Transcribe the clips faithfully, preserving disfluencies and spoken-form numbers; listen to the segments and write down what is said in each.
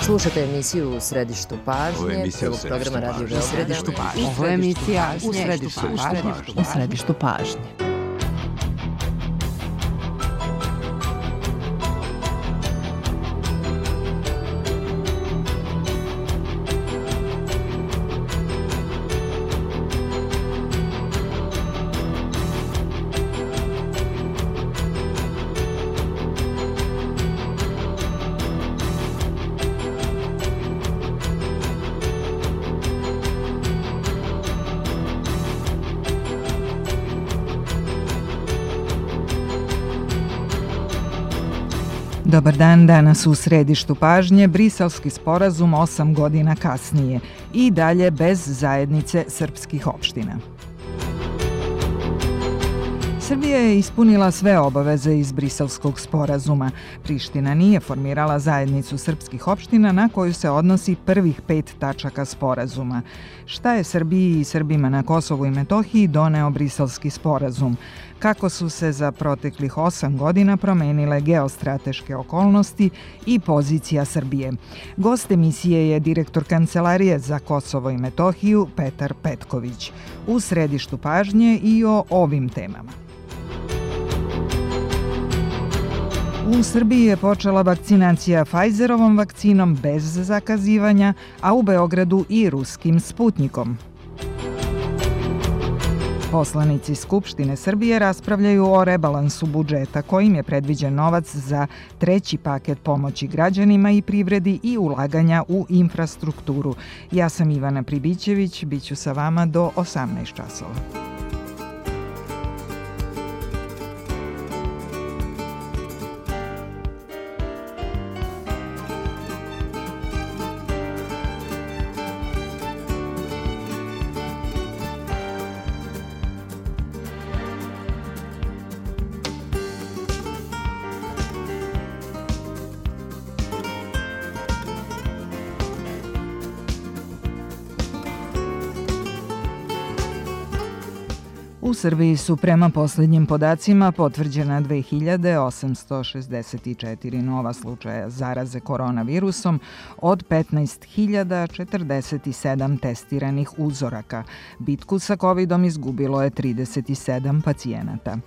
Slušate emisiju U središtu pažnje, prvog programa Radio Beograda. Ovo je emisija U središtu pažnje. U središtu pažnje. Dobar dan, danas u središtu pažnje Briselski sporazum osam godina kasnije i dalje bez zajednice srpskih opština. Srbija je ispunila sve obaveze iz Briselskog sporazuma. Priština nije formirala zajednicu srpskih opština na koju se odnosi prvih pet tačaka sporazuma. Šta je Srbiji i Srbima na Kosovu i Metohiji doneo Briselski sporazum? Kako su se za proteklih osam godina promenile geostrateške okolnosti i pozicija Srbije? Gost emisije je direktor Kancelarije za Kosovo i Metohiju Petar Petković. U središtu pažnje i o ovim temama. U Srbiji je počela vakcinacija Pfizerovom vakcinom bez zakazivanja, a u Beogradu i ruskim Sputnikom. Poslanici Skupštine Srbije raspravljaju o rebalansu budžeta kojim je predviđen novac za treći paket pomoći građanima i privredi i ulaganja u infrastrukturu. Ja sam Ivana Pribićević, bit ću sa vama do osamnaest časova. U Srbiji su prema posljednjim podacima potvrđena dve hiljade osamsto šezdeset četiri nova slučaja zaraze koronavirusom od petnaest hiljada četrdeset sedam testiranih uzoraka. Bitku sa kovidom izgubilo je trideset sedam pacijenata.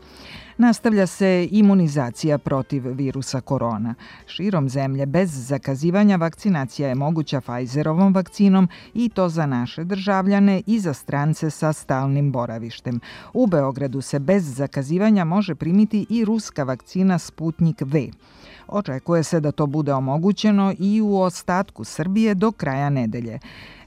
Nastavlja se imunizacija protiv virusa korona. Širom zemlje bez zakazivanja vakcinacija je moguća Pfizerovom vakcinom i to za naše državljane i za strance sa stalnim boravištem. U Beogradu se bez zakazivanja može primiti i ruska vakcina Sputnik V. Očekuje se da to bude omogućeno i u ostatku Srbije do kraja nedelje.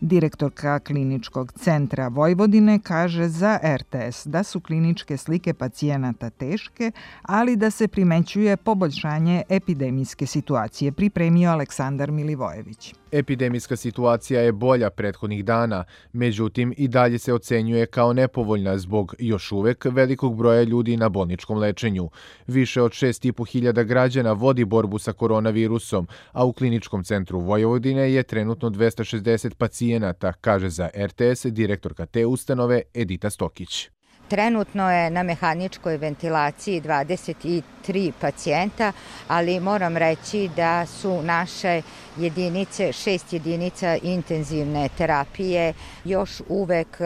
Direktorka Kliničkog centra Vojvodine kaže za er te es da su kliničke slike pacijenata teške, ali da se primećuje poboljšanje epidemijske situacije, pripremio Aleksandar Milivojević. Epidemijska situacija je bolja prethodnih dana, međutim i dalje se ocenjuje kao nepovoljna zbog još uvek velikog broja ljudi na bolničkom lečenju. Više od šest i po hiljada građana vodi borbu sa koronavirusom, a u Kliničkom centru Vojvodine je trenutno dvesta šezdeset pacijenata, kaže za er te es direktorka te ustanove Edita Stokić. Trenutno je na mehaničkoj ventilaciji dvadeset tri pacijenta, ali moram reći da su naše jedinice, šest jedinica intenzivne terapije još uvek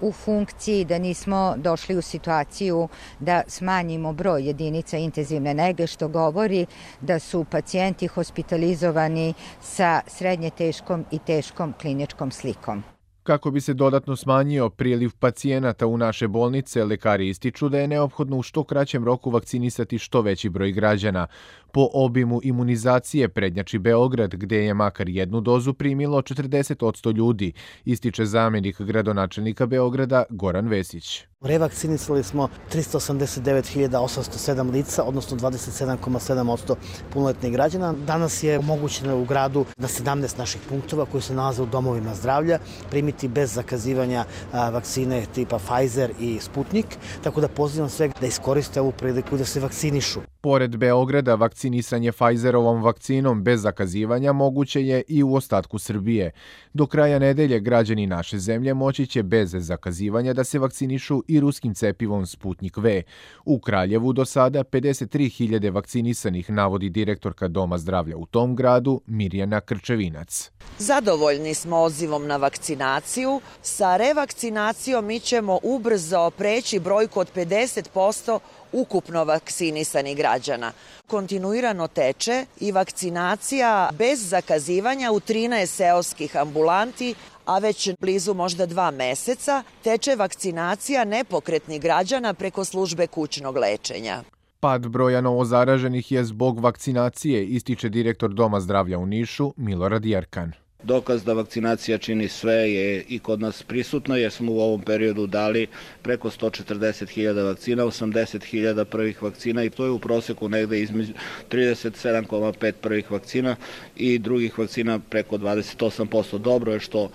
u funkciji, da nismo došli u situaciju da smanjimo broj jedinica intenzivne nege, što govori da su pacijenti hospitalizovani sa srednje teškom i teškom kliničkom slikom. Kako bi se dodatno smanjio priliv pacijenata u naše bolnice, lekari ističu da je neophodno u što kraćem roku vakcinisati što veći broj građana. Po obimu imunizacije prednjači Beograd, gde je makar jednu dozu primilo četrdeset posto ljudi, ističe zamjenik gradonačelnika Beograda Goran Vesić. Revakcinisali smo trista osamdeset devet hiljada osamsto sedam lica, odnosno dvadeset sedam zarez sedam posto punoletnih građana. Danas je omogućeno u gradu na sedamnaest naših punktova koji se nalaze u domovima zdravlja primiti bez zakazivanja vakcine tipa Pfizer i Sputnik, tako da pozivam sve da iskoriste ovu priliku da se vakcinišu. Pored Beograda, vakcinisanje Pfizerovom vakcinom bez zakazivanja moguće je i u ostatku Srbije. Do kraja nedelje građani naše zemlje moći će bez zakazivanja da se vakcinišu i ruskim cepivom Sputnik V. U Kraljevu do sada pedeset tri hiljade vakcinisanih, navodi direktorka Doma zdravlja u tom gradu Mirjana Krčevinac. Zadovoljni smo odzivom na vakcinaciju. Sa revakcinacijom mi ćemo ubrzo preći brojku od pedeset posto ukupno vakcinisanih građana. Kontinuirano teče i vakcinacija bez zakazivanja u trinaest seoskih ambulanti, a već blizu možda dva meseca teče vakcinacija nepokretnih građana preko službe kućnog lečenja. Pad broja novozaraženih je zbog vakcinacije, ističe direktor Doma zdravlja u Nišu Milorad Jerkan. Dokaz da vakcinacija čini sve je i kod nas prisutno, jer smo u ovom periodu dali preko sto četrdeset hiljada vakcina, osamdeset hiljada prvih vakcina i to je u proseku negde između trideset sedam zarez pet prvih vakcina i drugih vakcina preko dvadeset osam posto. Dobro je što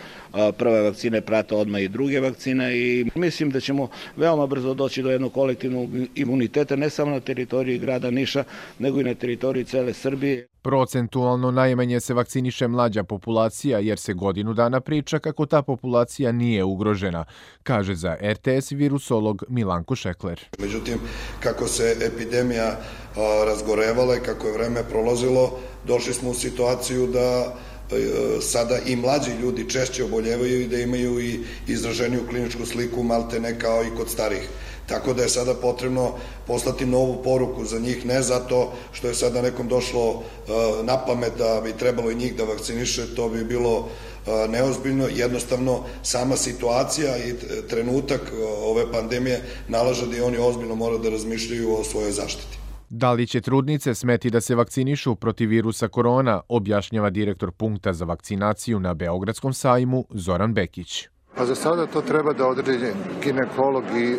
prve vakcine prate odmah i druge vakcine i mislim da ćemo veoma brzo doći do jednog kolektivnog imuniteta ne samo na teritoriji grada Niša, nego i na teritoriji cele Srbije. Procentualno najmanje se vakciniše mlađa populacija, jer se godinu dana priča kako ta populacija nije ugrožena, kaže za er te es virusolog Milanko Šekler. Međutim, kako se epidemija razgorevala i kako je vreme prolazilo, došli smo u situaciju da sada i mlađi ljudi češće oboljevaju i da imaju i izraženiju kliničku sliku maltene kao i kod starih. Tako da je sada potrebno poslati novu poruku za njih, ne zato što je sada nekom došlo na pamet da bi trebalo i njih da vakciniše, to bi bilo neozbiljno. Jednostavno, sama situacija i trenutak ove pandemije nalaže da i oni ozbiljno moraju da razmišljaju o svojoj zaštiti. Da li će trudnice smeti da se vakcinišu protiv virusa korona, objašnjava direktor punkta za vakcinaciju na Beogradskom sajmu Zoran Bekić. Pa za sada to treba da odredi ginekolog i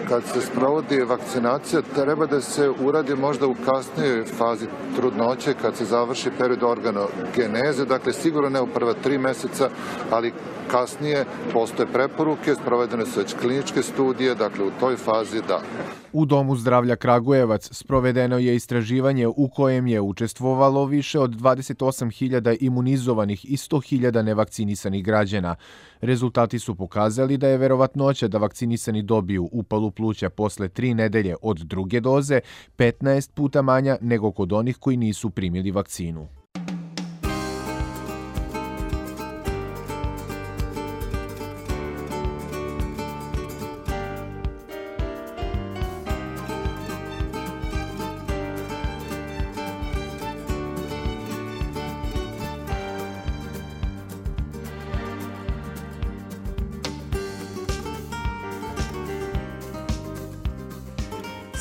kad se sprovodi vakcinacija treba da se uradi možda u kasnijoj fazi trudnoće kad se završi period organogeneze, dakle sigurno ne u prva tri meseca, ali kasnije postoje preporuke, sprovedene su već kliničke studije, dakle u toj fazi da. U Domu zdravlja Kragujevac sprovedeno je istraživanje u kojem je učestvovalo više od dvadeset osam hiljada imunizovanih i sto hiljada nevakcinisanih građana. Rezultati su pokazali da je verovatnoća da vakcinisani dobiju upalu pluća posle tri nedelje od druge doze petnaest puta manja nego kod onih koji nisu primili vakcinu.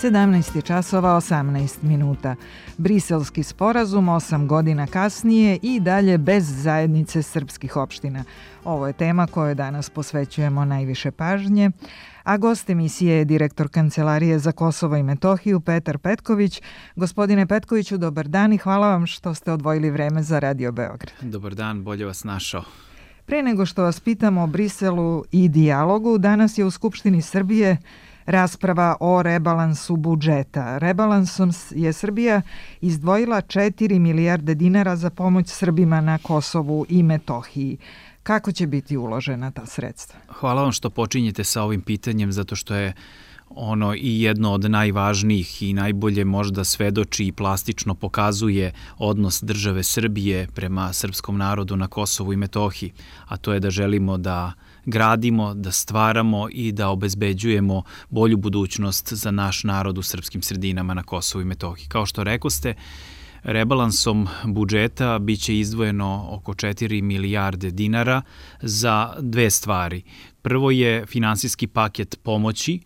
sedamnaest časova osamnaest minuta. Briselski sporazum osam godina kasnije i dalje bez zajednice srpskih opština. Ovo je tema kojoj danas posvećujemo najviše pažnje, a gost emisije je direktor Kancelarije za Kosovo i Metohiju Petar Petković. Gospodine Petkoviću, dobar dan i hvala vam što ste odvojili vreme za Radio Beograd. Dobar dan, bolje vas našao. Pre nego što vas pitamo o Briselu i dijalogu, danas je u Skupštini Srbije rasprava o rebalansu budžeta. Rebalansom je Srbija izdvojila četiri milijarde dinara za pomoć Srbima na Kosovu i Metohiji. Kako će biti uložena ta sredstva? Hvala vam što počinjete sa ovim pitanjem, zato što je ono i jedno od najvažnijih i najbolje možda svedoči i plastično pokazuje odnos države Srbije prema srpskom narodu na Kosovu i Metohiji, a to je da želimo da gradimo, da stvaramo i da obezbeđujemo bolju budućnost za naš narod u srpskim sredinama na Kosovu i Metohiji. Kao što rekoste, rebalansom budžeta biće izdvojeno oko četiri milijarde dinara za dve stvari. Prvo je finansijski paket pomoći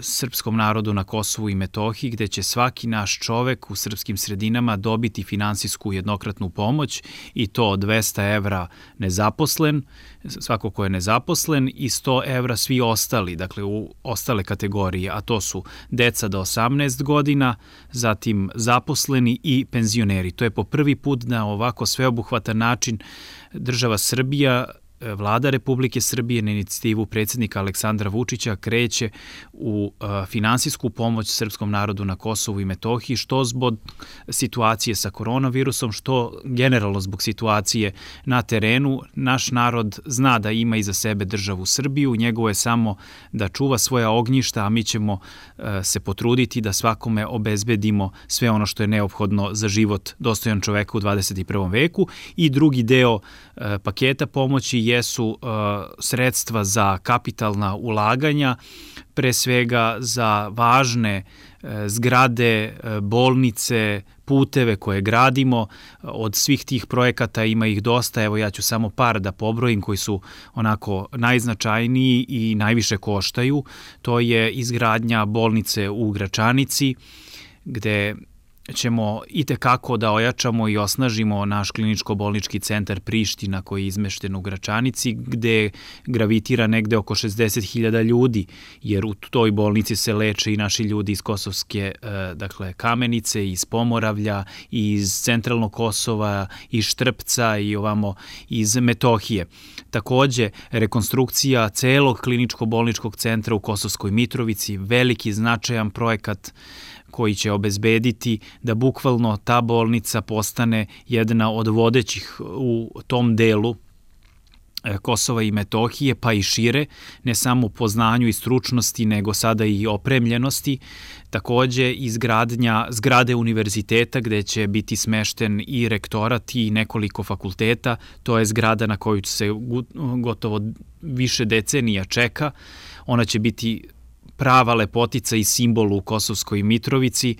srpskom narodu na Kosovu i Metohiji, gde će svaki naš čovek u srpskim sredinama dobiti finansijsku jednokratnu pomoć i to dvesta evra nezaposlen, svako ko je nezaposlen, i sto evra svi ostali, dakle u ostale kategorije, a to su deca do osamnaest godina, zatim zaposleni i penzioneri. To je po prvi put na ovako sveobuhvatan način država Srbija Vlada Republike Srbije na inicijativu predsjednika Aleksandra Vučića kreće u finansijsku pomoć srpskom narodu na Kosovu i Metohiji, što zbog situacije sa koronavirusom, što generalno zbog situacije na terenu. Naš narod zna da ima iza sebe državu Srbiju, njegovo je samo da čuva svoja ognjišta, a mi ćemo se potruditi da svakome obezbedimo sve ono što je neophodno za život dostojan čoveka u dvadeset i prvom veku. I drugi deo paketa pomoći jesu sredstva za kapitalna ulaganja, pre svega za važne zgrade, bolnice, puteve koje gradimo. Od svih tih projekata ima ih dosta, evo ja ću samo par da pobrojim koji su onako najznačajniji i najviše koštaju. To je izgradnja bolnice u Gračanici, gde ćemo itekako da ojačamo i osnažimo naš kliničko-bolnički centar Priština koji je izmešten u Gračanici, gde gravitira negde oko šezdeset hiljada ljudi, jer u toj bolnici se leče i naši ljudi iz Kosovske dakle, Kamenice, iz Pomoravlja, iz centralnog Kosova, iz Štrpca i ovamo iz Metohije. Takođe, rekonstrukcija celog kliničko-bolničkog centra u Kosovskoj Mitrovici, veliki značajan projekat koji će obezbediti da bukvalno ta bolnica postane jedna od vodećih u tom delu Kosova i Metohije, pa i šire, ne samo po znanju i stručnosti, nego sada i opremljenosti. Takođe, izgradnja zgrade univerziteta gde će biti smešten i rektorat i nekoliko fakulteta. To je zgrada na koju se gotovo više decenija čeka. Ona će biti prava lepotica i simbol u Kosovskoj Mitrovici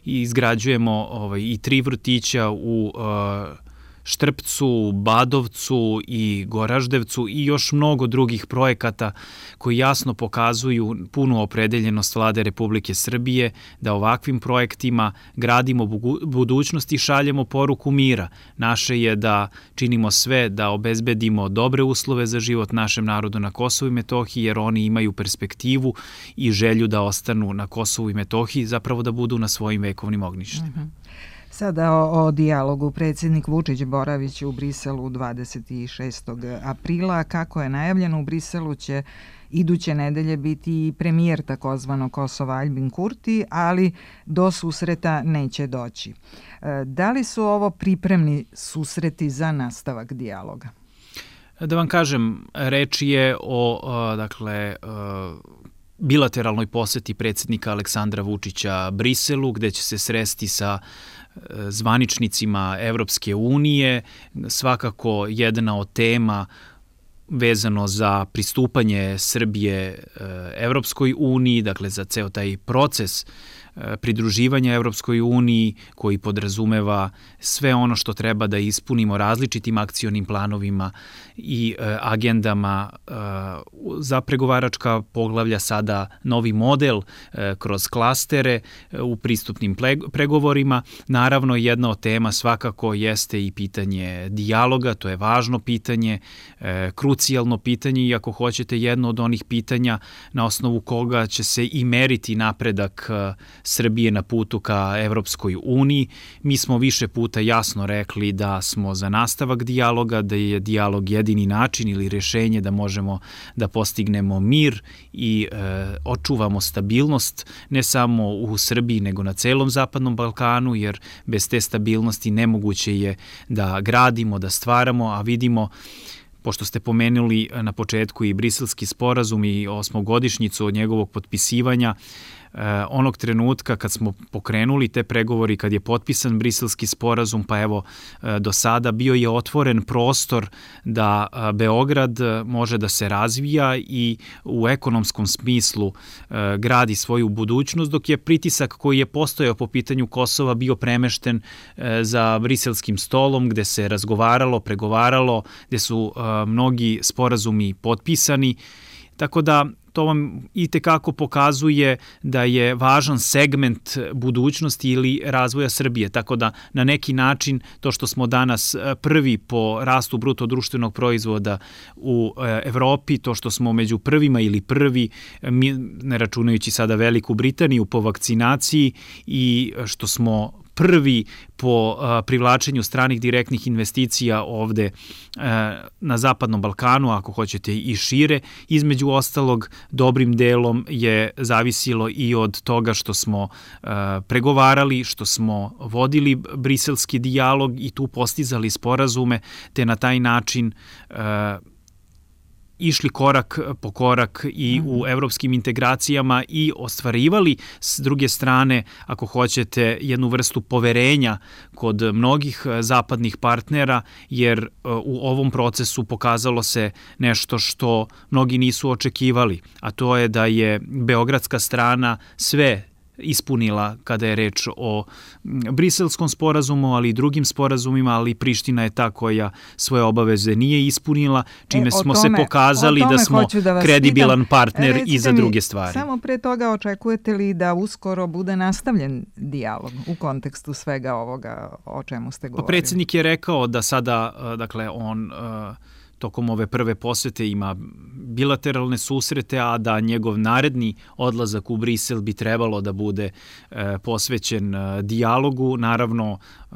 i izgrađujemo ovaj, i tri vrtića u uh, Štrpcu, Badovcu i Goraždevcu i još mnogo drugih projekata koji jasno pokazuju punu opredeljenost Vlade Republike Srbije da ovakvim projektima gradimo budućnost i šaljemo poruku mira. Naše je da činimo sve da obezbedimo dobre uslove za život našem narodu na Kosovu i Metohiji, jer oni imaju perspektivu i želju da ostanu na Kosovu i Metohiji, zapravo da budu na svojim vekovnim ognjištima. Mm-hmm. Sada o, o dijalogu. Predsjednik Vučić boraviće u Briselu dvadeset šestog aprila. Kako je najavljeno, u Briselu će iduće nedelje biti i premijer takozvano Kosova Aljbin Kurti, ali do susreta neće doći. Da li su ovo pripremni susreti za nastavak dijaloga? Da vam kažem, reč je o, dakle, bilateralnoj poseti predsjednika Aleksandra Vučića Briselu, gde će se sresti sa zvaničnicima Evropske unije. Svakako jedna od tema vezano za pristupanje Srbije Evropskoj uniji, dakle za ceo taj proces pridruživanja Evropskoj uniji koji podrazumeva sve ono što treba da ispunimo različitim akcionim planovima i agendama za pregovaračka poglavlja, sada novi model kroz klastere u pristupnim pregovorima. Naravno, jedna od tema svakako jeste i pitanje dijaloga, to je važno pitanje, krucijalno pitanje i ako hoćete jedno od onih pitanja na osnovu koga će se i meriti napredak Srbije na putu ka Evropskoj uniji. Mi smo više puta jasno rekli da smo za nastavak dijaloga, da je dijalog jedini način ili rješenje da možemo da postignemo mir i e, očuvamo stabilnost ne samo u Srbiji nego na celom Zapadnom Balkanu, jer bez te stabilnosti nemoguće je da gradimo, da stvaramo, a vidimo, pošto ste pomenuli na početku i Briselski sporazum i osmogodišnjicu od njegovog potpisivanja, onog trenutka kad smo pokrenuli te pregovori, kad je potpisan Briselski sporazum, pa evo do sada bio je otvoren prostor da Beograd može da se razvija i u ekonomskom smislu gradi svoju budućnost, dok je pritisak koji je postojao po pitanju Kosova bio premešten za briselskim stolom gde se razgovaralo, pregovaralo, gde su mnogi sporazumi potpisani. Tako da to vam itekako pokazuje da je važan segment budućnosti ili razvoja Srbije. Tako da na neki način to što smo danas prvi po rastu bruto društvenog proizvoda u Evropi, to što smo među prvima ili prvi, ne računajući sada Veliku Britaniju, po vakcinaciji i što smo prvi po privlačenju stranih direktnih investicija ovde na Zapadnom Balkanu, ako hoćete i šire. Između ostalog, dobrim delom je zavisilo i od toga što smo pregovarali, što smo vodili briselski dijalog i tu postizali sporazume, te na taj način išli korak po korak i u evropskim integracijama i ostvarivali s druge strane, ako hoćete, jednu vrstu poverenja kod mnogih zapadnih partnera, jer u ovom procesu pokazalo se nešto što mnogi nisu očekivali, a to je da je beogradska strana sve ispunila kada je reč o Briselskom sporazumu, ali i drugim sporazumima, ali Priština je ta koja svoje obaveze nije ispunila, čime e, smo tome, se pokazali da smo da kredibilan pitam, partner e, i za druge stvari. Samo pre toga očekujete li da uskoro bude nastavljen dijalog u kontekstu svega ovoga o čemu ste govorili? Predsjednik je rekao da sada, dakle, on tokom ove prve posete ima bilateralne susrete, a da njegov naredni odlazak u Brisel bi trebalo da bude e, posvećen e, dijalogu. Naravno, e,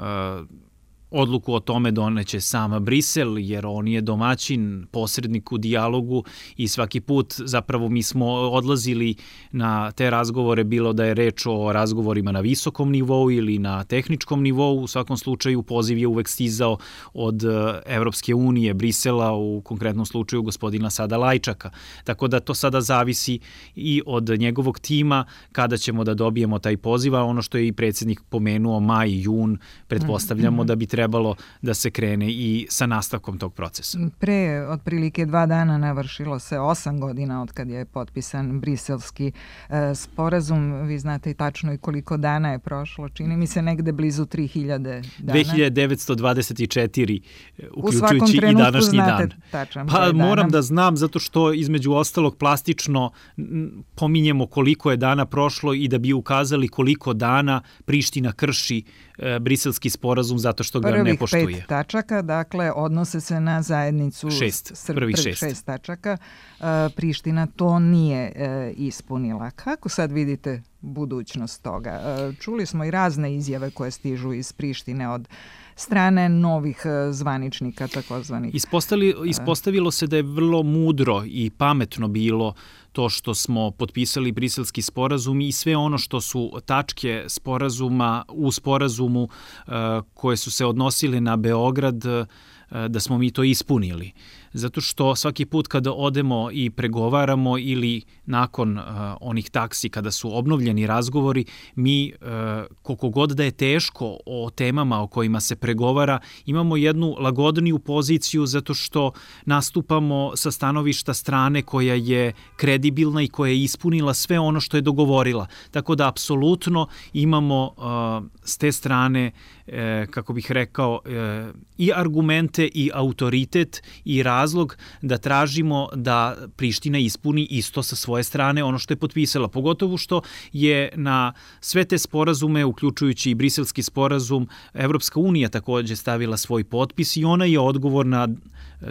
odluku o tome doneće sam Brisel, jer on je domaćin, posrednik u dijalogu i svaki put zapravo mi smo odlazili na te razgovore, bilo da je reč o razgovorima na visokom nivou ili na tehničkom nivou. U svakom slučaju poziv je uvek stizao od Evropske unije, Brisela, u konkretnom slučaju gospodina Sada Lajčaka. Tako da to sada zavisi i od njegovog tima kada ćemo da dobijemo taj poziv, a ono što je i predsjednik pomenuo, maj, jun, pretpostavljamo mm-hmm. da bi trebalo trebalo da se krene i sa nastavkom tog procesa. Pre otprilike dva dana navršilo se osam godina od kad je potpisan briselski e, sporazum. Vi znate i tačno i koliko dana je prošlo. Čini mi se negde blizu tri hiljade dana. dve hiljade devetsto dvadeset četiri, uključujući i današnji dan. Tačan pa moram da znam, zato što između ostalog plastično pominjemo koliko je dana prošlo i da bi ukazali koliko dana Priština krši e, briselski sporazum zato što ga ne poštuje. Prvih pet tačaka, dakle, odnose se na zajednicu šest, Srb, prvih šest. šest tačaka. Uh, Priština to nije uh, ispunila. Kako sad vidite budućnost toga? Uh, čuli smo i razne izjave koje stižu iz Prištine od strane novih zvaničnika, takozvanih. Ispostavili, ispostavilo se da je vrlo mudro i pametno bilo to što smo potpisali briselski sporazum i sve ono što su tačke sporazuma u sporazumu uh, koje su se odnosile na Beograd, uh, da smo mi to ispunili. Zato što svaki put kada odemo i pregovaramo ili nakon uh, onih taksi kada su obnovljeni razgovori, mi uh, koliko god da je teško o temama o kojima se pregovara, imamo jednu lagodniju poziciju zato što nastupamo sa stanovišta strane koja je kredibilna i koja je ispunila sve ono što je dogovorila. Tako da apsolutno imamo uh, s te strane, e, kako bih rekao, e, i argumente i autoritet i razlog da tražimo da Priština ispuni isto sa svoje strane ono što je potpisala. Pogotovo što je na sve te sporazume, uključujući i briselski sporazum, Evropska unija takođe stavila svoj potpis i ona je odgovorna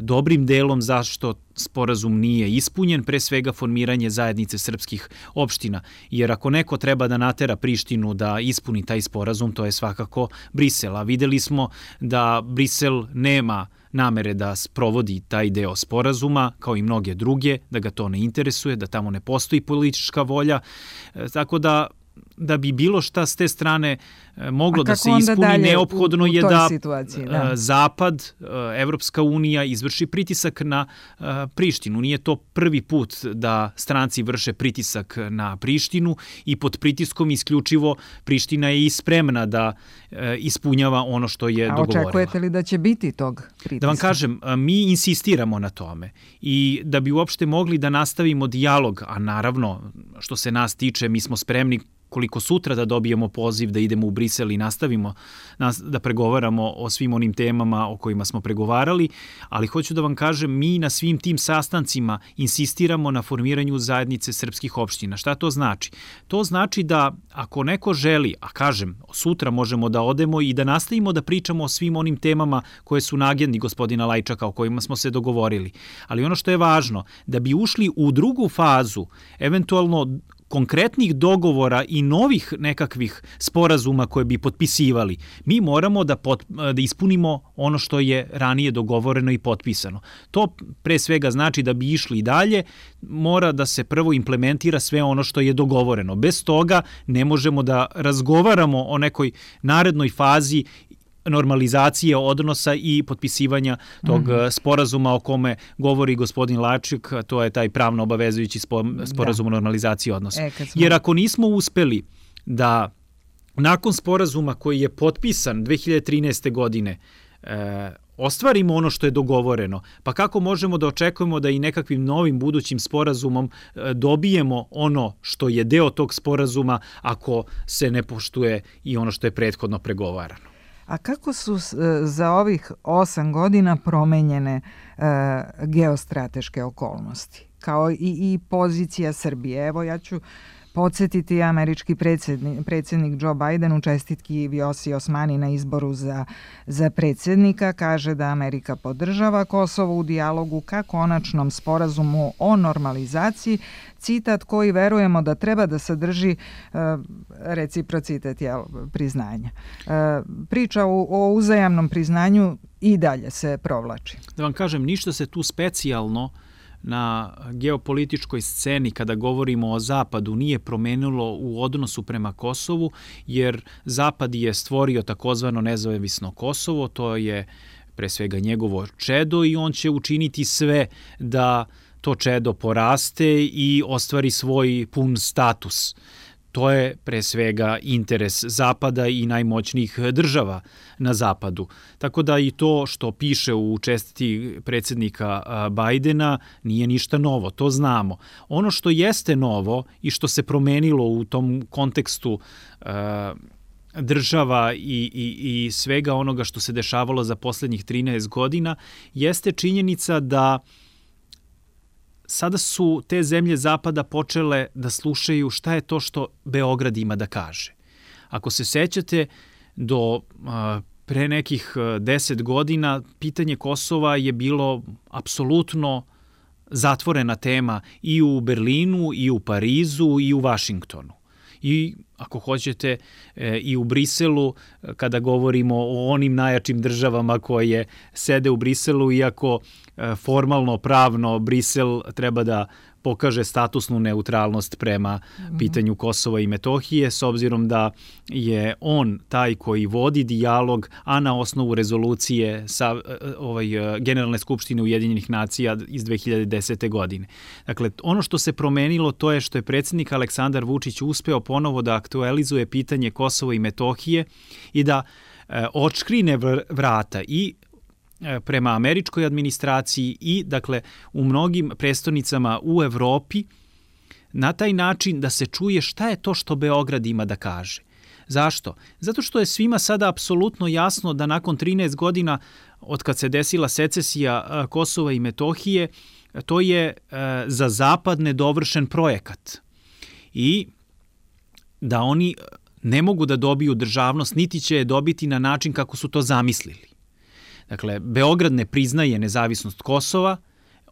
dobrim delom zašto sporazum nije ispunjen, pre svega formiranje zajednice srpskih opština. Jer ako neko treba da natera Prištinu da ispuni taj sporazum, to je svakako Brisel. A videli smo da Brisel nema namere da sprovodi taj deo sporazuma, kao i mnoge druge, da ga to ne interesuje, da tamo ne postoji politička volja. E, tako da da bi bilo šta s te strane moglo da se ispuni, neophodno u, u je da, da Zapad, Evropska unija izvrši pritisak na Prištinu. Nije to prvi put da stranci vrše pritisak na Prištinu i pod pritiskom isključivo Priština je i spremna da ispunjava ono što je A dogovorila. A očekujete li da će biti tog pritiska? Da vam kažem, mi insistiramo na tome i da bi uopšte mogli da nastavimo dijalog, a naravno što se nas tiče, mi smo spremni koliko sutra da dobijemo poziv da idemo u Brisel i nastavimo da pregovaramo o svim onim temama o kojima smo pregovarali, ali hoću da vam kažem, mi na svim tim sastancima insistiramo na formiranju zajednice srpskih opština. Šta to znači? To znači da ako neko želi, a kažem, sutra možemo da odemo i da nastavimo da pričamo o svim onim temama koje su na agendi gospodina Lajčaka o kojima smo se dogovorili. Ali ono što je važno, da bi ušli u drugu fazu, eventualno konkretnih dogovora i novih nekakvih sporazuma koje bi potpisivali, mi moramo da, pot, da ispunimo ono što je ranije dogovoreno i potpisano. To pre svega znači da bi išli dalje, mora da se prvo implementira sve ono što je dogovoreno. Bez toga ne možemo da razgovaramo o nekoj narednoj fazi normalizacije odnosa i potpisivanja tog mm-hmm. sporazuma o kome govori gospodin Lačik, to je taj pravno obavezujući sporazum o normalizaciji odnosa. E, smo... Jer ako nismo uspeli da nakon sporazuma koji je potpisan dve hiljade trinaeste. godine e, ostvarimo ono što je dogovoreno, pa kako možemo da očekujemo da i nekakvim novim budućim sporazumom e, dobijemo ono što je deo tog sporazuma ako se ne poštuje i ono što je prethodno pregovarano? A kako su za ovih osam godina promenjene e, geostrateške okolnosti, kao i, i pozicija Srbije? Evo, ja ću podsjetiti američki predsjednik, predsjednik Joe Biden u čestitki Vjosi Osmani na izboru za, za predsjednika kaže da Amerika podržava Kosovo u dijalogu ka konačnom sporazumu o normalizaciji, citat koji verujemo da treba da sadrži e, reciprocitet, jel, priznanja. E, priča o, o uzajamnom priznanju i dalje se provlači. Da vam kažem, ništa se tu specijalno na geopolitičkoj sceni kada govorimo o Zapadu nije promenilo u odnosu prema Kosovu, jer Zapad je stvorio takozvano nezavisno Kosovo, to je pre svega njegovo čedo i on će učiniti sve da to čedo poraste i ostvari svoj pun status. To je pre svega interes Zapada i najmoćnijih država na Zapadu. Tako da i to što piše u čestiti predsjednika Bajdena nije ništa novo, to znamo. Ono što jeste novo i što se promenilo u tom kontekstu uh, država i, i, i svega onoga što se dešavalo za posljednjih trinaest godina jeste činjenica da sada su te zemlje Zapada počele da slušaju šta je to što Beograd ima da kaže. Ako se sećate, do a, pre nekih deset godina pitanje Kosova je bilo apsolutno zatvorena tema i u Berlinu, i u Parizu, i u Vašingtonu. I ako hoćete e, i u Briselu, kada govorimo o onim najjačim državama koje sede u Briselu, iako e, formalno, pravno Brisel treba da pokaže statusnu neutralnost prema mm-hmm. pitanju Kosova i Metohije, s obzirom da je on taj koji vodi dijalog, a na osnovu rezolucije sa ovaj, Generalne skupštine Ujedinjenih nacija iz dve hiljade desete. godine. Dakle, ono što se promenilo to je što je predsjednik Aleksandar Vučić uspeo ponovo da aktualizuje pitanje Kosova i Metohije i da e, odškrine vrata i prema američkoj administraciji i dakle u mnogim prestonicama u Evropi na taj način da se čuje šta je to što Beograd ima da kaže. Zašto? Zato što je svima sada apsolutno jasno da nakon trinaest godina od kad se desila secesija Kosova i Metohije, to je za Zapad nedovršen projekat i da oni ne mogu da dobiju državnost, niti će je dobiti na način kako su to zamislili. Dakle, Beograd ne priznaje nezavisnost Kosova.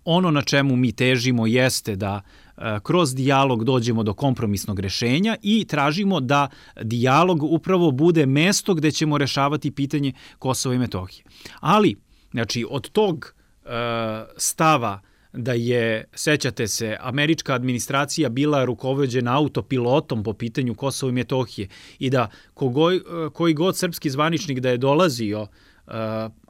Ono na čemu mi težimo jeste da e, kroz dijalog dođemo do kompromisnog rešenja i tražimo da dijalog upravo bude mesto gde ćemo rešavati pitanje Kosova i Metohije. Ali, znači, od tog e, stava da je, sećate se, američka administracija bila rukovođena autopilotom po pitanju Kosova i Metohije i da kogoj, koji god srpski zvaničnik da je dolazio, uh,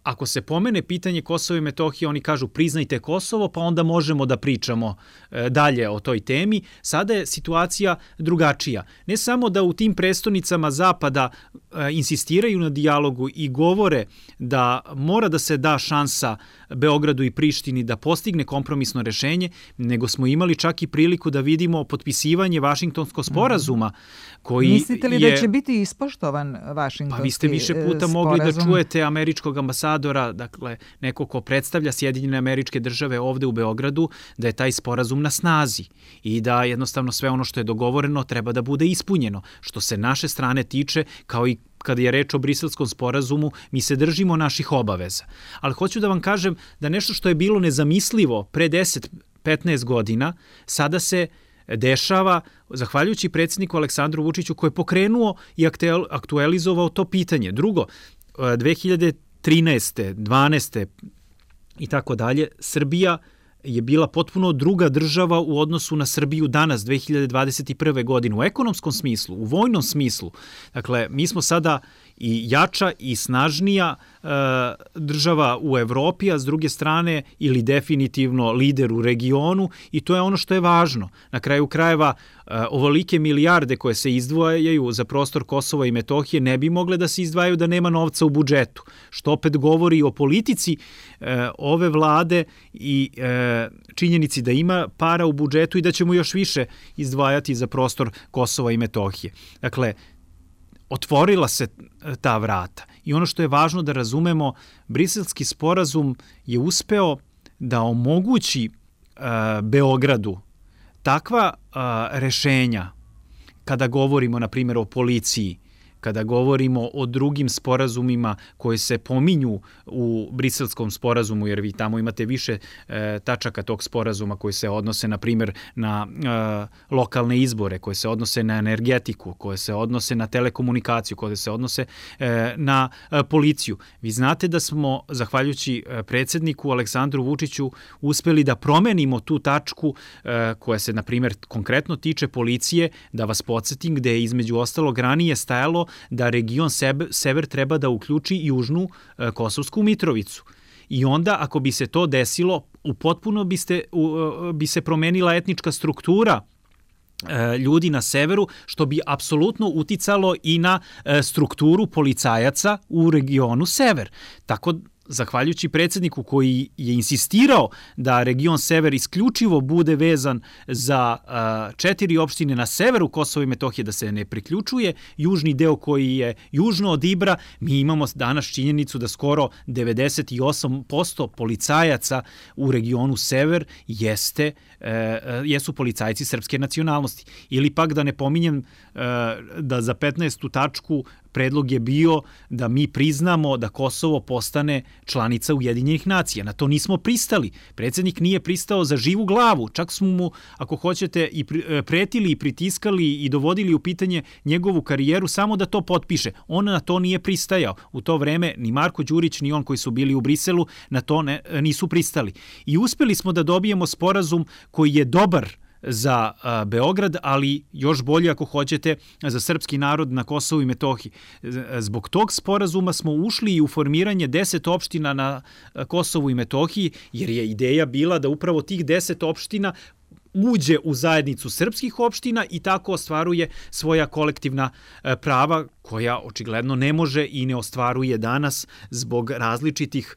ako se pomene pitanje Kosova i Metohije, oni kažu priznajte Kosovo, pa onda možemo da pričamo uh, dalje o toj temi. Sada je situacija drugačija. Ne samo da u tim prestonicama Zapada uh, insistiraju na dijalogu i govore da mora da se da šansa Beogradu i Prištini da postigne kompromisno rešenje, nego smo imali čak i priliku da vidimo potpisivanje Vašingtonskog sporazuma koji je... Mislite li je... da će biti ispoštovan Vašingtonski sporazum? Pa vi ste više puta mogli da čujete američkog ambasadora, dakle neko ko predstavlja Sjedinjene Američke Države ovde u Beogradu, da je taj sporazum na snazi i da jednostavno sve ono što je dogovoreno treba da bude ispunjeno. Što se naše strane tiče, kao i kada je reč o Briselskom sporazumu, mi se držimo naših obaveza. Ali hoću da vam kažem da nešto što je bilo nezamislivo pre deset do petnaest godina, sada se dešava zahvaljujući predsjedniku Aleksandru Vučiću koji je pokrenuo i aktualizovao to pitanje. Drugo, dve hiljade trinaeste, dvanaeste i tako dalje, Srbija je bila potpuno druga država u odnosu na Srbiju danas, dve hiljade dvadeset prve. godine, u ekonomskom smislu, u vojnom smislu. Dakle, mi smo sada i jača i snažnija e, država u Evropi, a s druge strane ili definitivno lider u regionu i to je ono što je važno. Na kraju krajeva, e, ovolike milijarde koje se izdvajaju za prostor Kosova i Metohije ne bi mogle da se izdvajaju da nema novca u budžetu, što opet govori o politici e, ove vlade i e, činjenici da ima para u budžetu i da ćemo još više izdvajati za prostor Kosova i Metohije. Dakle, otvorila se ta vrata. I ono što je važno da razumemo, Briselski sporazum je uspeo da omogući uh, Beogradu takva uh, rešenja kada govorimo, na primjer, o policiji, kada govorimo o drugim sporazumima koji se pominju u Briselskom sporazumu, jer vi tamo imate više e, tačaka tog sporazuma koji se odnose, na primjer, na e, lokalne izbore, koje se odnose na energetiku, koje se odnose na telekomunikaciju, koje se odnose e, na e, policiju. Vi znate da smo, zahvaljujući predsjedniku Aleksandru Vučiću, uspeli da promenimo tu tačku e, koja se, na primjer, konkretno tiče policije, da vas podsjetim, gde je između ostalog ranije stajalo da region sever treba da uključi južnu e, Kosovsku Mitrovicu. I onda, ako bi se to desilo, u potpuno biste, u, bi se promenila etnička struktura e, ljudi na severu, što bi apsolutno uticalo i na e, strukturu policajaca u regionu sever. Tako zahvaljujući predsjedniku koji je insistirao da region sever isključivo bude vezan za uh, četiri opštine na severu Kosova i Metohije, da se ne priključuje južni deo koji je južno od Ibra, mi imamo danas činjenicu da skoro devedeset osam posto policajaca u regionu sever jeste, uh, jesu policajci srpske nacionalnosti. Ili pak da ne pominjem uh, da za petnaestu tačku predlog je bio da mi priznamo da Kosovo postane članica Ujedinjenih nacija. Na to nismo pristali. Predsjednik nije pristao za živu glavu. Čak smo mu, ako hoćete, i pretili i pritiskali i dovodili u pitanje njegovu karijeru samo da to potpiše. On na to nije pristajao. U to vreme ni Marko Đurić, ni on koji su bili u Briselu na to ne, nisu pristali. I uspeli smo da dobijemo sporazum koji je dobar za a, Beograd, ali još bolje ako hoćete za srpski narod na Kosovu i Metohiji. Zbog tog sporazuma smo ušli i u formiranje deset opština na Kosovu i Metohiji, jer je ideja bila da upravo tih deset opština uđe u zajednicu srpskih opština i tako ostvaruje svoja kolektivna prava koja očigledno ne može i ne ostvaruje danas zbog različitih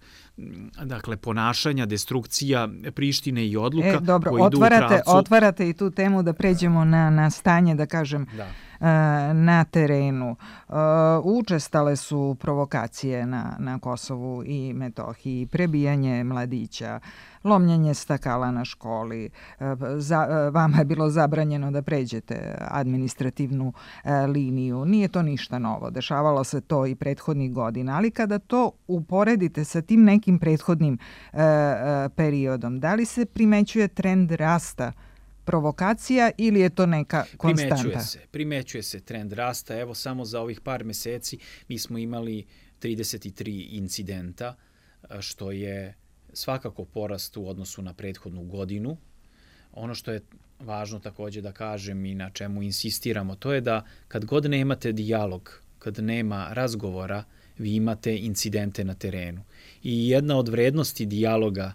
dakle ponašanja, destrukcija Prištine i odluka e, dobro, koji idu otvarate, u pravcu. Otvarate i tu temu da pređemo na, na stanje, da kažem, da. na terenu. Učestale su provokacije na, na Kosovu i Metohiji, prebijanje mladića, lomljenje stakala na školi. Za, vama je bilo zabranjeno da pređete administrativnu liniju. Nije to ništa novo. Dešavalo se to i prethodnih godina. Ali kada to uporedite sa tim nekim prethodnim periodom, da li se primećuje trend rasta provokacija ili je to neka konstanta? Primećuje se, primećuje se trend rasta. Evo samo za ovih par meseci mi smo imali trideset tri incidenta, što je svakako porast u odnosu na prethodnu godinu. Ono što je važno također da kažem i na čemu insistiramo, to je da kad god nemate dijalog, kad nema razgovora, vi imate incidente na terenu. I jedna od vrednosti dijaloga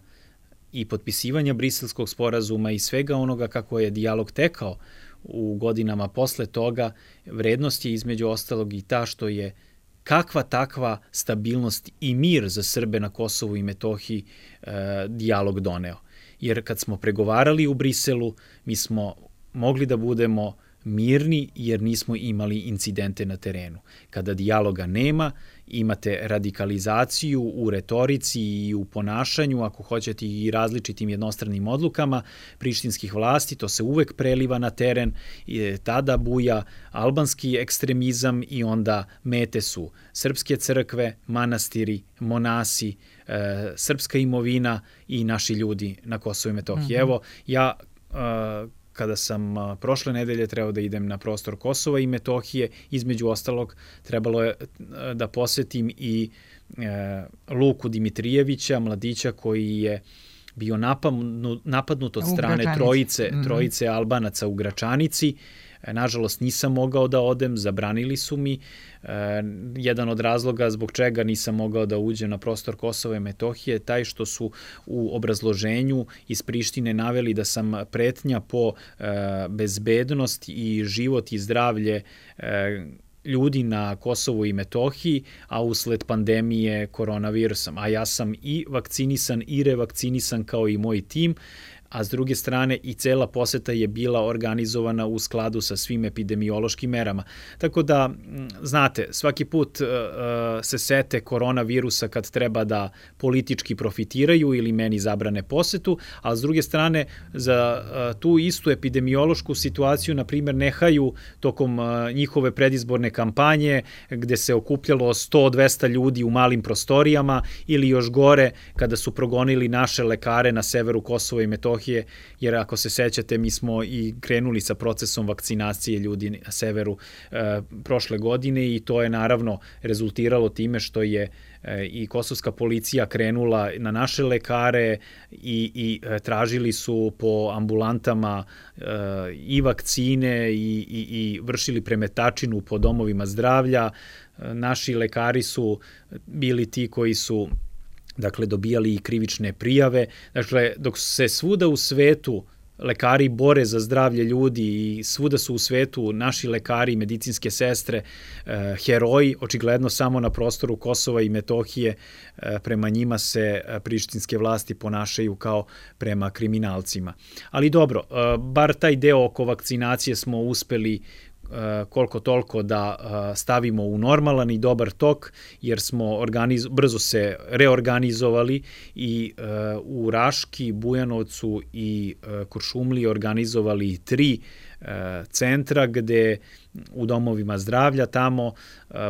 i potpisivanja Briselskog sporazuma i svega onoga kako je dijalog tekao u godinama posle toga, vrednost je između ostalog i ta što je kakva takva stabilnost i mir za Srbe na Kosovu i Metohiji e, dijalog doneo. Jer kad smo pregovarali u Briselu, mi smo mogli da budemo mirni jer nismo imali incidente na terenu. Kada dijaloga nema, imate radikalizaciju u retorici i u ponašanju, ako hoćete i različitim jednostranim odlukama prištinskih vlasti, to se uvek preliva na teren, i tada buja albanski ekstremizam i onda mete su srpske crkve, manastiri, monasi, e, srpska imovina i naši ljudi na Kosovu i Metohiji. Mm-hmm. Evo, ja e, kada sam prošle nedelje trebao da idem na prostor Kosova i Metohije, između ostalog trebalo je da posetim i Luku Dimitrijevića, mladića koji je bio napadnut, napadnut od strane trojice, trojice Albanaca u Gračanici. Nažalost nisam mogao da odem, zabranili su mi. Jedan od razloga zbog čega nisam mogao da uđem na prostor Kosova i Metohije taj što su u obrazloženju iz Prištine naveli da sam pretnja po bezbednost i život i zdravlje ljudi na Kosovu i Metohiji, a usled pandemije koronavirusom. A ja sam i vakcinisan i revakcinisan kao i moj tim, a s druge strane i cela poseta je bila organizovana u skladu sa svim epidemiološkim merama. Tako da, znate, svaki put uh, se sete koronavirusa kad treba da politički profitiraju ili meni zabrane posetu, a s druge strane za uh, tu istu epidemiološku situaciju, na primjer, nehaju tokom uh, njihove predizborne kampanje gde se okupljalo sto do dvesta ljudi u malim prostorijama ili još gore kada su progonili naše lekare na severu Kosova i Metohije, jer ako se sećate, mi smo i krenuli sa procesom vakcinacije ljudi na severu e, prošle godine i to je naravno rezultiralo time što je e, i kosovska policija krenula na naše lekare i, i e, tražili su po ambulantama e, i vakcine i, i, i vršili premetačinu po domovima zdravlja. E, naši lekari su bili ti koji su dakle dobijali i krivične prijave. Dakle, dok se svuda u svetu lekari bore za zdravlje ljudi i svuda su u svetu naši lekari i medicinske sestre e, heroji, očigledno samo na prostoru Kosova i Metohije e, prema njima se prištinske vlasti ponašaju kao prema kriminalcima. Ali dobro, e, bar taj deo oko vakcinacije smo uspeli koliko toliko da stavimo u normalan i dobar tok, jer smo organiz, brzo se reorganizovali i u Raški, Bujanovcu i Kuršumliji organizovali tri centra gde u domovima zdravlja tamo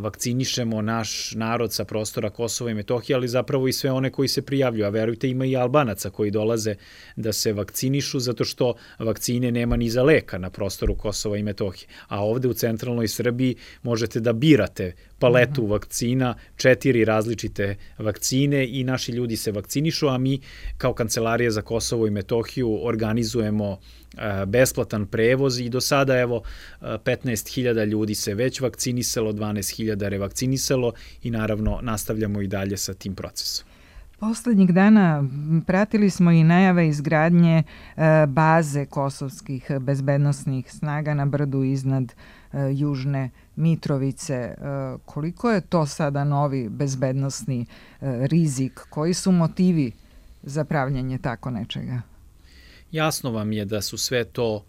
vakcinišemo naš narod sa prostora Kosova i Metohije, ali zapravo i sve one koji se prijavljuju. A verujte, ima i Albanaca koji dolaze da se vakcinišu zato što vakcine nema ni za leka na prostoru Kosova i Metohije. A ovde u centralnoj Srbiji možete da birate paletu mm-hmm. vakcina, četiri različite vakcine i naši ljudi se vakcinišu, a mi kao Kancelarija za Kosovo i Metohiju organizujemo besplatan prevoz i do sada evo petnaest hiljada ljudi se već vakcinisalo, dvanaest hiljada revakcinisalo i naravno nastavljamo i dalje sa tim procesom. Poslednjih dana pratili smo i najave izgradnje baze kosovskih bezbednosnih snaga na brdu iznad Južne Mitrovice. Koliko je to sada novi bezbednosni rizik? Koji su motivi za pravljanje tako nečega? Jasno vam je da su sve to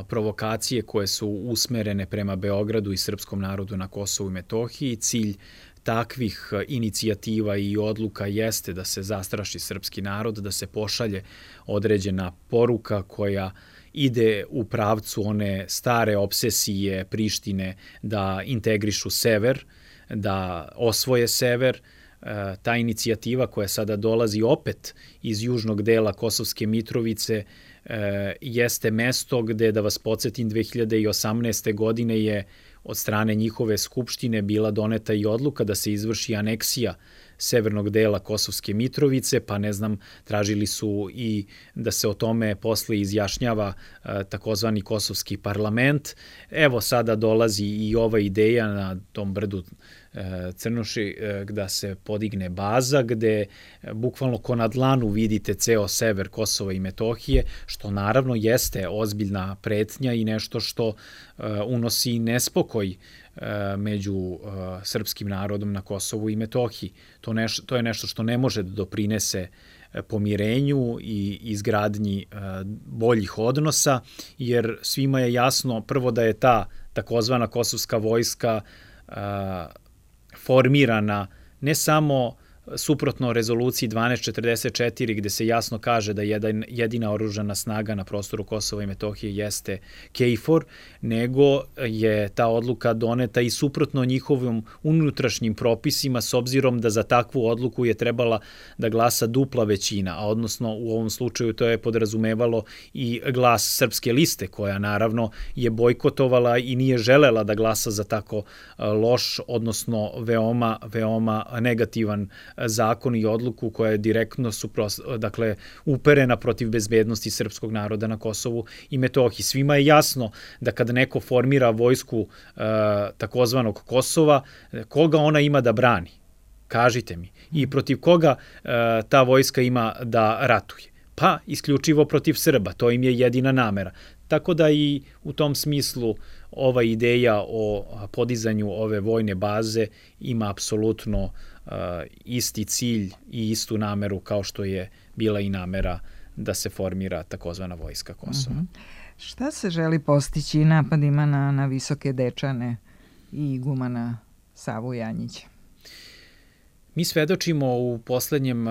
provokacije koje su usmerene prema Beogradu i srpskom narodu na Kosovu i Metohiji. Cilj takvih inicijativa i odluka jeste da se zastraši srpski narod, da se pošalje određena poruka koja ide u pravcu one stare obsesije Prištine da integrišu sever, da osvoje sever. Ta inicijativa koja sada dolazi opet iz južnog dela Kosovske Mitrovice jeste mesto gde, da vas podsjetim, dve hiljade osamnaeste. godine je od strane njihove skupštine bila doneta i odluka da se izvrši aneksija severnog dela Kosovske Mitrovice, pa ne znam, tražili su i da se o tome posle izjašnjava takozvani Kosovski parlament. Evo sada dolazi i ova ideja na tom brdu Crnoši da se podigne baza gde bukvalno ko na dlanu vidite ceo sever Kosova i Metohije, što naravno jeste ozbiljna pretnja i nešto što unosi nespokoj među srpskim narodom na Kosovu i Metohiji. To, neš, to je nešto što ne može da doprinese pomirenju i izgradnji boljih odnosa, jer svima je jasno prvo da je ta takozvana kosovska vojska formirana ne samo suprotno rezoluciji dvanaest četrdeset četiri gde se jasno kaže da jedan, jedina oružana snaga na prostoru Kosova i Metohije jeste KFOR, nego je ta odluka doneta i suprotno njihovim unutrašnjim propisima s obzirom da za takvu odluku je trebala da glasa dupla većina, a odnosno u ovom slučaju to je podrazumevalo i glas Srpske liste koja naravno je bojkotovala i nije želela da glasa za tako loš, odnosno veoma, veoma negativan zakon i odluku koja je direktno supros, dakle, uperena protiv bezbednosti srpskog naroda na Kosovu i Metohiji. Svima je jasno da kada neko formira vojsku e, takozvanog Kosova, koga ona ima da brani? Kažite mi. I protiv koga e, ta vojska ima da ratuje? Pa, isključivo protiv Srba. To im je jedina namera. Tako da i u tom smislu ova ideja o podizanju ove vojne baze ima apsolutno uh, isti cilj i istu nameru kao što je bila i namera da se formira takozvana vojska Kosova. Uh-huh. Šta se želi postići napadima na, na Visoke Dečane i igumana Savu Janjića? Mi svedočimo u poslednjem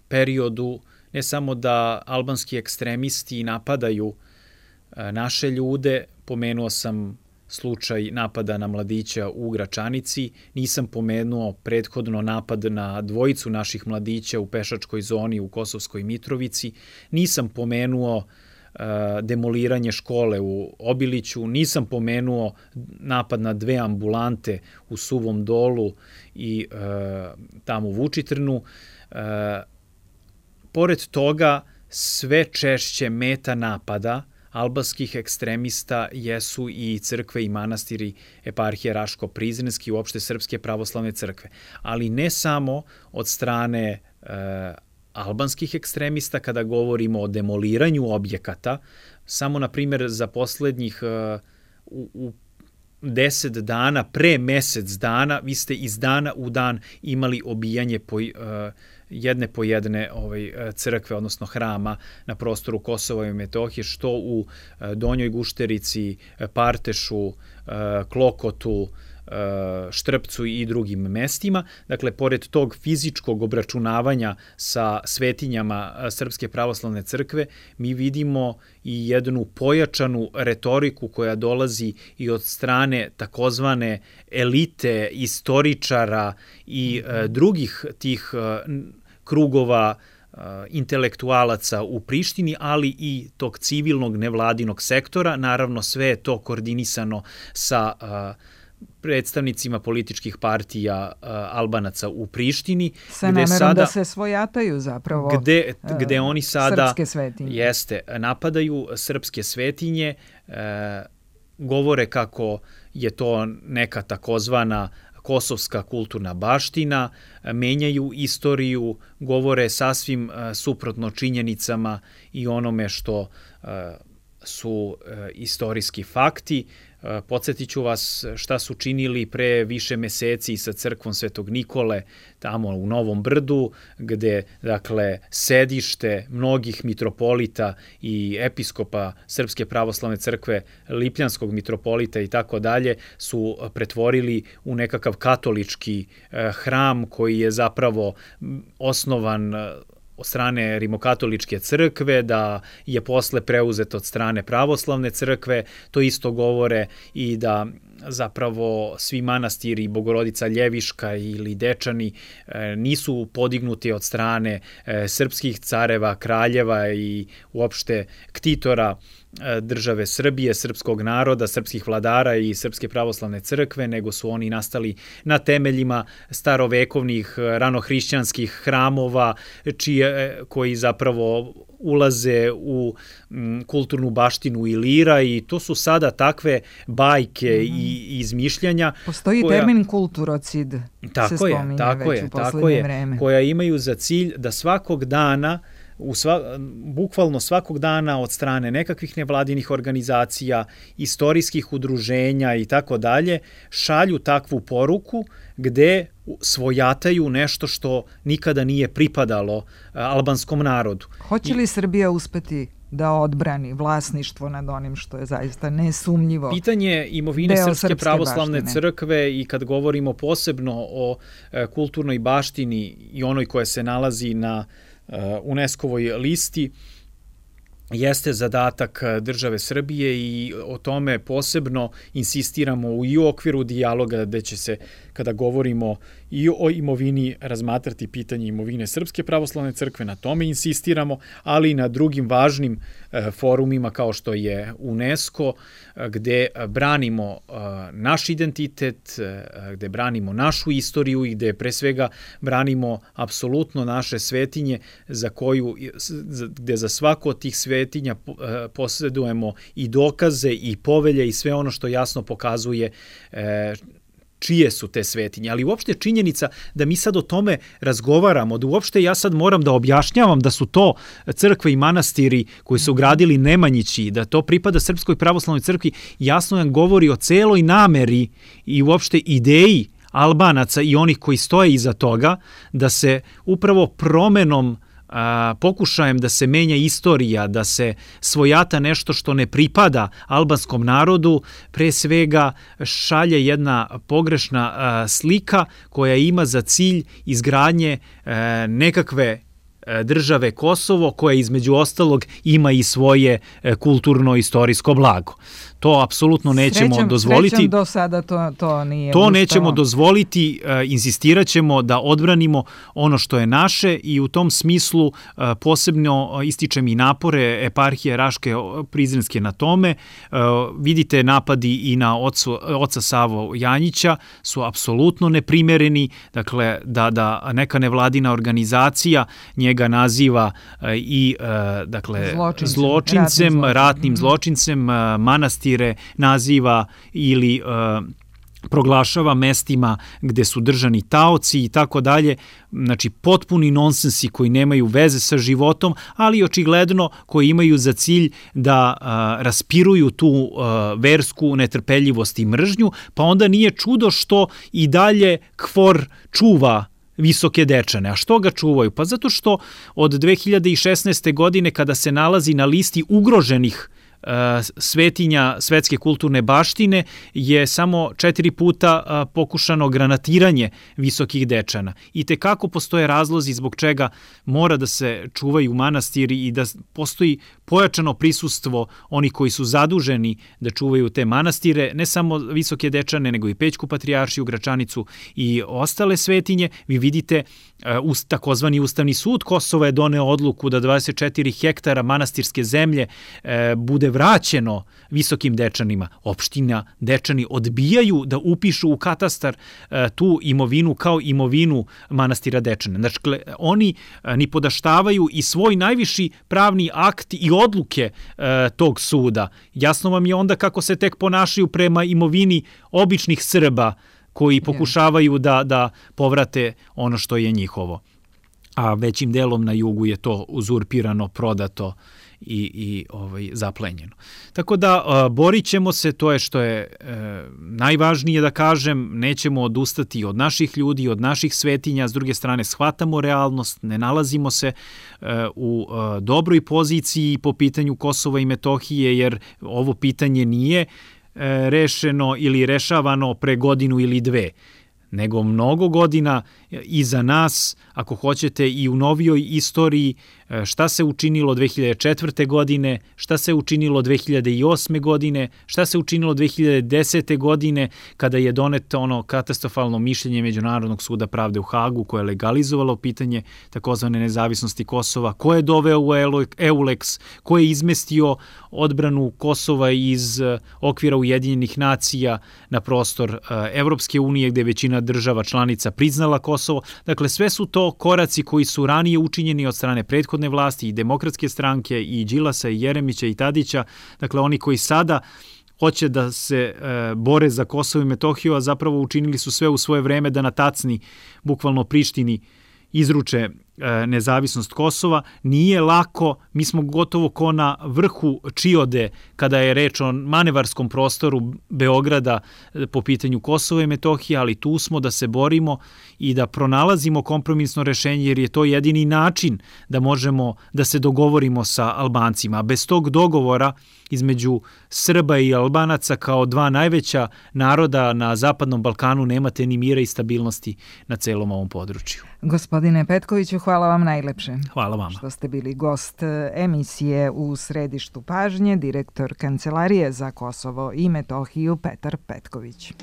periodu ne samo da albanski ekstremisti napadaju naše ljude, pomenuo sam slučaj napada na mladića u Gračanici, nisam pomenuo prethodno napad na dvojicu naših mladića u pešačkoj zoni u Kosovskoj Mitrovici, nisam pomenuo uh, demoliranje škole u Obiliću, nisam pomenuo napad na dve ambulante u Suvom Dolu i uh, tamo u Vučitrnu. Uh, pored toga, sve češće meta napada albanskih ekstremista jesu i crkve i manastiri eparhije Raško-Prizrenski i uopšte Srpske pravoslavne crkve. Ali ne samo od strane e, albanskih ekstremista kada govorimo o demoliranju objekata, samo na primjer za poslednjih e, u, u deset dana, pre mesec dana, vi ste iz dana u dan imali obijanje po, uh, jedne po jedne ovaj, crkve, odnosno hrama na prostoru Kosova i Metohije, što u uh, Donjoj Gušterici, Partešu, uh, Klokotu, Štrpcu i drugim mestima. Dakle, pored tog fizičkog obračunavanja sa svetinjama Srpske pravoslavne crkve, mi vidimo i jednu pojačanu retoriku koja dolazi i od strane takozvane elite, istoričara i drugih tih krugova intelektualaca u Prištini, ali i tog civilnog nevladinog sektora. Naravno, sve je to koordinisano sa predstavnicima političkih partija uh, Albanaca u Prištini. Sa namerom sada, da se svojataju zapravo gde, gde uh, oni sada srpske svetinje. Jeste, napadaju srpske svetinje, uh, govore kako je to neka takozvana kosovska kulturna baština, menjaju istoriju, govore sasvim uh, suprotno činjenicama i onome što uh, su uh, istorijski fakti. Podsjetit ću vas šta su činili pre više meseci sa crkvom Svetog Nikole tamo u Novom Brdu, gde dakle sedište mnogih mitropolita i episkopa Srpske pravoslavne crkve, Lipljanskog mitropolita i tako dalje su pretvorili u nekakav katolički hram koji je zapravo osnovan od strane rimokatoličke crkve, da je posle preuzet od strane pravoslavne crkve. To isto govore i da zapravo svi manastiri Bogorodica Ljeviška ili Dečani nisu podignuti od strane srpskih careva, kraljeva i uopšte ktitora države Srbije, srpskog naroda, srpskih vladara i Srpske pravoslavne crkve, nego su oni nastali na temeljima starovekovnih, ranohrišćanskih hramova, čije, koji zapravo ulaze u m, kulturnu baštinu Ilira i to su sada takve bajke mm-hmm. i izmišljanja. Postoji koja, termin kulturocid, tako se spominje je, tako već je, u poslednje vreme. Koja imaju za cilj da svakog dana u sva, bukvalno svakog dana od strane nekakvih nevladinih organizacija, istorijskih udruženja i tako dalje, šalju takvu poruku gde svojataju nešto što nikada nije pripadalo albanskom narodu. Hoće li Srbija uspeti da odbrani vlasništvo nad onim što je zaista nesumnjivo. Pitanje imovine Srpske, Srpske pravoslavne baštine. Crkve i kad govorimo posebno o e, kulturnoj baštini i onoj koja se nalazi na e, UNESCO-voj listi, jeste zadatak države Srbije i o tome posebno insistiramo i u okviru dijaloga gde će se, kada govorimo i o imovini, razmatrati pitanje imovine Srpske pravoslavne crkve, na tome insistiramo, ali i na drugim važnim forumima kao što je UNESCO, gde branimo naš identitet, gde branimo našu istoriju i gde pre svega branimo apsolutno naše svetinje za koju, gde za svako od tih svetinja posjedujemo i dokaze i povelje i sve ono što jasno pokazuje čije su te svetinje, ali uopšte činjenica da mi sad o tome razgovaramo, da uopšte ja sad moram da objašnjavam da su to crkve i manastiri koji su gradili Nemanjići, da to pripada Srpskoj pravoslavnoj crkvi, jasno nam govori o celoj nameri i uopšte ideji Albanaca i onih koji stoje iza toga, da se upravo promenom, a, pokušajem da se menja istorija, da se svojata nešto što ne pripada albanskom narodu, pre svega šalje jedna pogrešna a, slika koja ima za cilj izgradnje a, nekakve države Kosovo, koja između ostalog ima i svoje kulturno-istorijsko blago. To apsolutno nećemo srećem, dozvoliti. Srećem do sada to, to nije To ustalo. nećemo dozvoliti, insistirat ćemo da odbranimo ono što je naše i u tom smislu posebno ističem i napore eparhije Raške Prizrenske na tome. Vidite, napadi i na ocu, oca Savo Janjića su apsolutno neprimereni, dakle da, da neka nevladina organizacija njega naziva i dakle zločincem, zločincem, ratnim, ratnim zločincem, manastir naziva ili uh, proglašava mestima gde su držani taoci i tako dalje. Znači, potpuni nonsensi koji nemaju veze sa životom, ali očigledno koji imaju za cilj da uh, raspiruju tu uh, versku netrpeljivost i mržnju, pa onda nije čudo što i dalje KFOR čuva Visoke Dečane. A što ga čuvaju? Pa zato što od dve hiljade šesnaeste. godine, kada se nalazi na listi ugroženih svetinja svetske kulturne baštine, je samo četiri puta pokušano granatiranje Visokih Dečana. I tekako postoje razlozi zbog čega mora da se čuvaju manastiri i da postoji pojačano prisustvo onih koji su zaduženi da čuvaju te manastire, ne samo Visoke Dečane, nego i Pećku patrijaršiju, Gračanicu i ostale svetinje. Vi vidite, takozvani Ustavni sud Kosova je doneo odluku da dvadeset četiri hektara manastirske zemlje bude vraćeno Visokim Dečanima. Opština Dečani odbijaju da upišu u katastar tu imovinu kao imovinu manastira Dečane. Znači, oni ni podaštavaju i svoj najviši pravni akt i odluke tog suda. Jasno vam je onda kako se tek ponašaju prema imovini običnih Srba koji pokušavaju da, da povrate ono što je njihovo. A većim delom na jugu je to uzurpirano, prodato i, i ovaj, zaplenjeno. Tako da a, borit ćemo se, to je što je e, najvažnije da kažem, nećemo odustati od naših ljudi, od naših svetinja, s druge strane shvatamo realnost, ne nalazimo se e, u e, dobroj poziciji po pitanju Kosova i Metohije, jer ovo pitanje nije e, rešeno ili rešavano pre godinu ili dve, nego mnogo godina iza nas, ako hoćete i u novijoj istoriji, šta se učinilo dve hiljade četvrte. godine, šta se učinilo dve hiljade osme. godine, šta se učinilo dve hiljade desete. godine, kada je doneto ono katastrofalno mišljenje Međunarodnog suda pravde u Hagu, koje je legalizovalo pitanje takozvane nezavisnosti Kosova, ko je doveo u EULEX, ko je izmestio odbranu Kosova iz okvira Ujedinjenih nacija na prostor Evropske unije, gde je većina država članica priznala Kosovo. Dakle, sve su to koraci koji su ranije učinjeni od strane prethodne vlasti i Demokratske stranke i Đilasa i Jeremića i Tadića. Dakle, oni koji sada hoće da se e, bore za Kosovo i Metohiju, a zapravo učinili su sve u svoje vreme da na tacni, bukvalno Prištini, izruče nezavisnost Kosova. Nije lako, mi smo gotovo ko na vrhu čiode kada je reč o manevarskom prostoru Beograda po pitanju Kosova i Metohije, ali tu smo da se borimo i da pronalazimo kompromisno rešenje, jer je to jedini način da možemo da se dogovorimo sa Albancima. Bez tog dogovora između Srba i Albanaca kao dva najveća naroda na Zapadnom Balkanu nemate ni mira i stabilnosti na celom ovom području. Gospodine Petkoviću, hvala vam najlepše. Hvala vama. Što ste bili gost emisije U središtu pažnje, direktor Kancelarije za Kosovo i Metohiju Petar Petković.